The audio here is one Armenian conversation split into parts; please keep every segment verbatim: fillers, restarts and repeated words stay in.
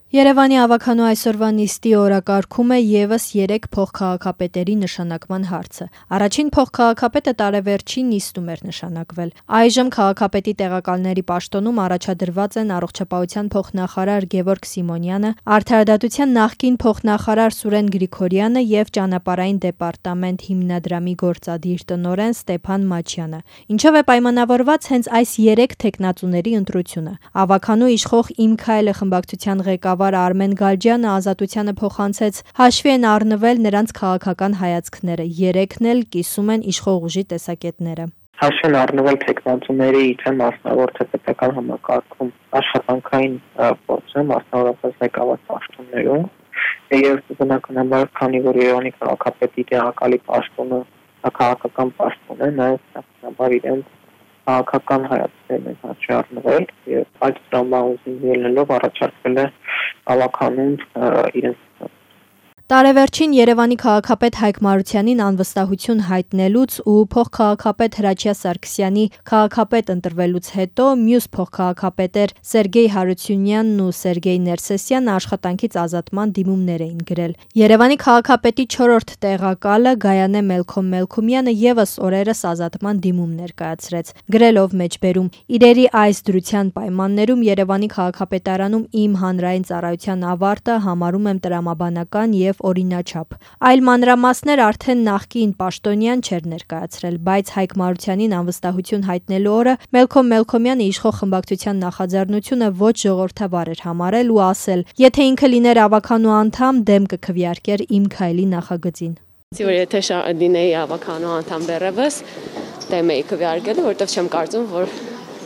Երևանի ավագանու այսօրվա նիստի օրակարգում է ևս երեք փոխքաղաքապետերի նշանակման հարցը։ Առաջին փոխքաղաքապետը տարեվերջին նիստում էր նշանակվել։ Այժմ քաղաքապետի տեղակալների պաշտոնում առաջադրված են առողջապահության փոխնախարար Գևորգ Սիմոնյանը, արդարադատության նախկին փոխնախարար Սուրեն Գրիգորյանը և ճանապարհային դեպարտամենտ հիմնադրամի գործադիր տնօրեն Ստեփան Մաչյանը, ինչով է պայմանավորված հենց այս երեք թեկնածուների ընտրությունը։ Ավագանու իշխող «Իմ քայլը» խմբակցության ղեկավար Արմեն Գալջյանը Ազատությանը փոխանցեց հաշվի են առնվել նրանց քաղաքական հայացքները, երեքն էլ կիսում են իշխող ուժի տեսակետները։ Հաշվի են առնվել թեկնածուների թե մասնավոր թե պետական համակարգում աշխատանքային փորձը, մասնավորապես ղեկավար պաշտոններում, եւ բնականաբար, քանի որ Երևանի քաղաքապետի տեղակալի պաշտոնը քաղաքական պաշտոն է, նաեւ բնականաբար իրենց քաղաքական հայացքներն են հաշվի առնվել եւ այդ տրամաբանությունից ելնելով առաջարկվել է ավագանուն իրենց։ Տարեվերջին Երևանի քաղաքապետ Հայկ Մարությանին անվստահություն հայտնելուց ու փոխքաղաքապետ Հրաչյա Սարգսյանի քաղաքապետ ընտրվելուց հետո մյուս փոխքաղաքապետեր Սերգեյ Հարությունյանն ու Սերգեյ Ներսեսյանը աշխատանքից ազատման դիմումներ էին գրել։ Երևանի քաղաքապետի չորրորդ տեղակալը Գայանե Մելքոմ Մելքոմյանը ևս օրերս ազատման դիմում ներկայացրեց, գրելով մեջբերում. «Իրերի այս դրության պայմաններում Երևանի քաղաքապետարանում իմ հանրային ծառայության ավարտը համարում եմ տրամաբանական և օրինաչափ»։ Այլ մանրամասներ արդեն նախկին պաշտոնյան չէր ներկայացրել, բայց Հայկ Մարությանին անվստահություն հայտնելու օրը Մելքոմ Մելքոմյանը իշխող խմբակցության նախաձեռնությունը ոչ ժողովրդավար էր համարել ու ասել. «Եթե ինքը լիներ ավագանու անդամ, դեմ կքվեարկեր «Իմ քայլի» նախագծին»։ Եթե լինեի ավագանու անդամ դեռևս, դեմ էի քվեարկելու, որովհետև չեմ կարծում, որ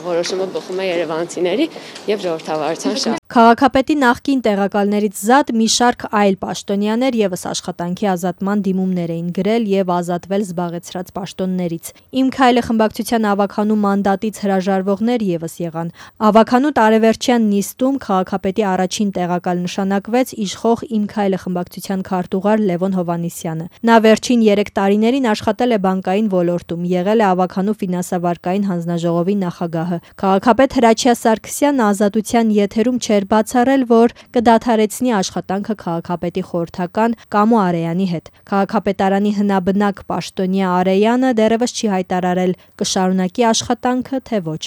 որոշումը բխում է երևանցիների եւ ժողովրդավարության շահ։ Քաղաքապետի նախկին տեղակալներից զատ մի շարք այլ պաշտոնյաներ ևս աշխատանքի ազատման դիմումներ էին գրել եւ ազատվել զբաղեցրած պաշտոններից։ «Իմ քայլը» խմբակցության ավագանու մանդատից հրաժարվողներ ևս եղան։ Ավագանու տարեվերջյան նիստում քաղաքապետի առաջին տեղակալ նշանակվեց իշխող «Իմ քայլը» խմբակցության քարտուղար Լևոն Հովհաննիսյանը։ Նա վերջին երեք տարիներին աշխատել է բանկային ոլորտում, եղել է ավագանու ֆինանսավարկային հանձնաժողովի նախագահը։ Քաղաքապետ Հրաչյա Սարգսյանը Ազատության եթերում չէր բացառել, որ կդադարեցնի աշխատանքը քաղաքապետի խորհրդական Կամո Արեյանի հետ։ Քաղաքապետարանի հնաբնակ պաշտոնյա Արեյանը դեռևս չի հայտարարել՝ կշարունակի աշխատանքը, թե ոչ։